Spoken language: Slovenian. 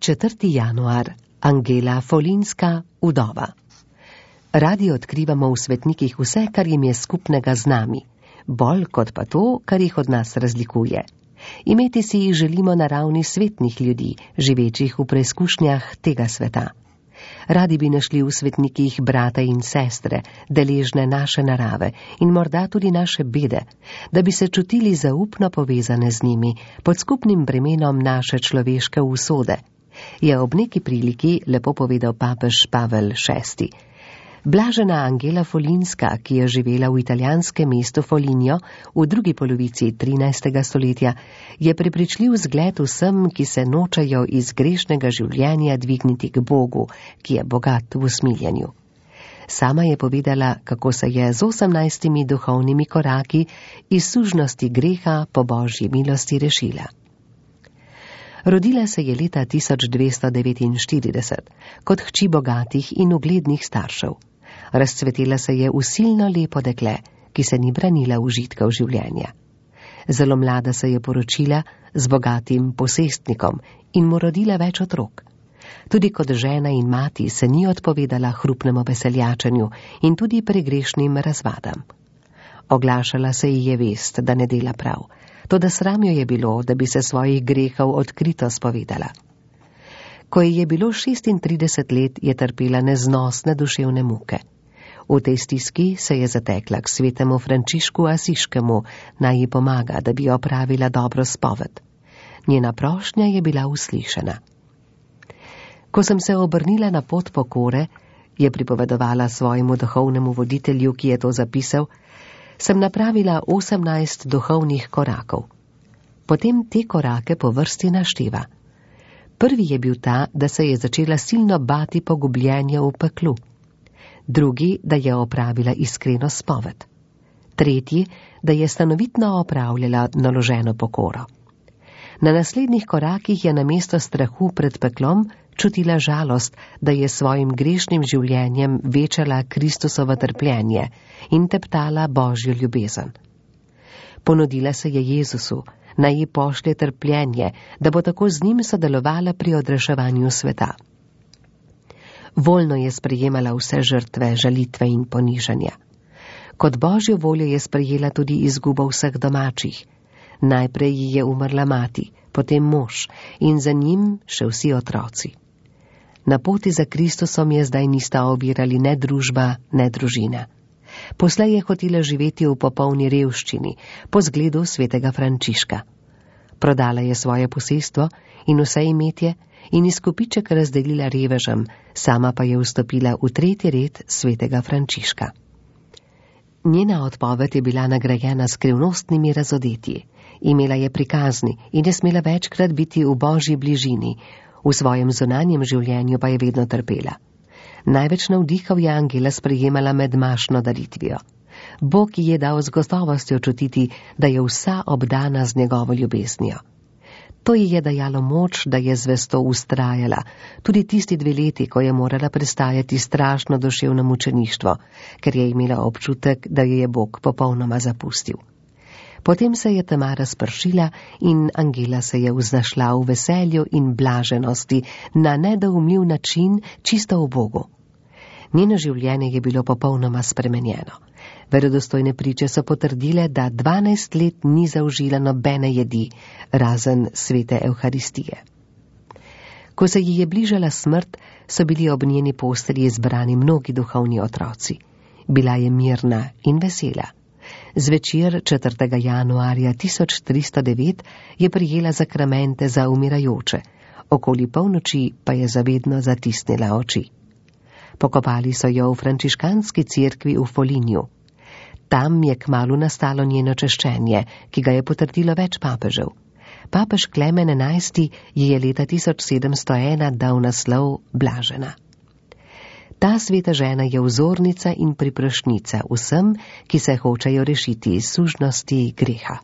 4. januar. Angela Folinska, vdova. Radi odkrivamo v svetnikih vse, kar jim je skupnega z nami, bolj kot pa to, kar jih od nas razlikuje. Imeti si jih želimo na ravni svetnih ljudi, živečih v preizkušnjah tega sveta. Radi bi našli v svetnikih brata in sestre, deležne naše narave in morda tudi naše bede, da bi se čutili zaupno povezane z njimi pod skupnim bremenom naše človeške usode, je ob neki priliki lepo povedal papež Pavel VI. Blažena Angela Folinska, ki je živela v italijanskem mestu Foligno v drugi polovici 13. stoletja, je prepričljiv zgled vsem, ki se nočejo iz grešnega življenja dvigniti k Bogu, ki je bogat v usmiljenju. Sama je povedala, kako se je z 18 duhovnimi koraki iz sužnosti greha po Božji milosti rešila. Rodila se je leta 1249 kot hči bogatih in uglednih staršev. Razcvetela se je v silno lepo dekle, ki se ni branila užitkov življenja. Zelo mlada se je poročila z bogatim posestnikom in mu rodila več otrok. Tudi kot žena in mati se ni odpovedala hrupnemu veseljačenju in tudi pregrešnim razvadam. Oglašala se ji je vest, da ne dela prav, toda sram jo je bilo, da bi se svojih grehov odkrito spovedala. Ko ji je bilo 36 let, je trpela neznosne duševne muke. V tej stiski se je zatekla k svetemu Frančišku Asiškemu, naj ji pomaga, da bi opravila dobro spoved. Njena prošnja je bila uslišana. Ko sem se obrnila na pot pokore, je pripovedovala svojemu duhovnemu voditelju, ki je to zapisal, sem napravila 18 duhovnih korakov. Potem te korake po vrsti našteva. Prvi je bil ta, da se je začela silno bati pogubljenja v peklu. Drugi, da je opravila iskreno spoved. Tretji, da je stanovitno opravljala naloženo pokoro. Na naslednjih korakih je namesto strahu pred peklom čutila žalost, da je svojim grešnim življenjem večala Kristusovo trpljenje in teptala Božjo ljubezen. Ponudila se je Jezusu, naj ji pošlje trpljenje, da bo tako z njim sodelovala pri odreševanju sveta. Voljno je sprejemala vse žrtve, žalitve in ponižanja. Kot Božjo voljo je sprejela tudi izgubo vseh domačih. Najprej ji je umrla mati, potem mož in za njim še vsi otroci. Na poti za Kristusom je zdaj nista ovirali ne družba, ne družina. Poslej je hotela živeti v popolni revščini, po zgledu svetega Frančiška. Prodala je svoje posestvo in vse imetje in izkupiček razdelila revežem, sama pa je vstopila v 3. red svetega Frančiška. Njena odpoved je bila nagrajena s skrivnostnimi razodetji. Imela je prikazni in je smela večkrat biti v Božji bližini, v svojem zunanjem življenju pa je vedno trpela. Največ navdihov je Angela sprejemala med mašno daritvijo. Bog ji je dal z gotovostjo čutiti, da je vsa obdana z njegovo ljubeznijo. To ji je dajalo moč, da je zvesto ustrajala, tudi tisti 2 leti, ko je morala prestajati strašno duševno mučeništvo, ker je imela občutek, da jo je Bog popolnoma zapustil. Potem se je tema razpršila in Angela se je vznašla v veselju in blaženosti na nedoumljiv način čisto v Bogu. Njeno življenje je bilo popolnoma spremenjeno. Verodostojne priče so potrdile, da 12 let ni zaužila nobene jedi, razen svete Evharistije. Ko se ji je bližala smrt, so bili ob njeni postelji zbrani mnogi duhovni otroci. Bila je mirna in vesela. Zvečer 4. januarja 1309 je prijela zakramente za umirajoče, okoli polnoči pa je zavedno zatisnila oči. Pokopali so jo v frančiškanski cerkvi v Folignu. Tam je kmalu nastalo njeno češčenje, ki ga je potrdilo več papežev. Papež Klemen XI ji je leta 1701 dal naslov blažena. Ta sveta žena je vzornica in priprošnjica vsem, ki se hočejo rešiti iz sužnosti greha.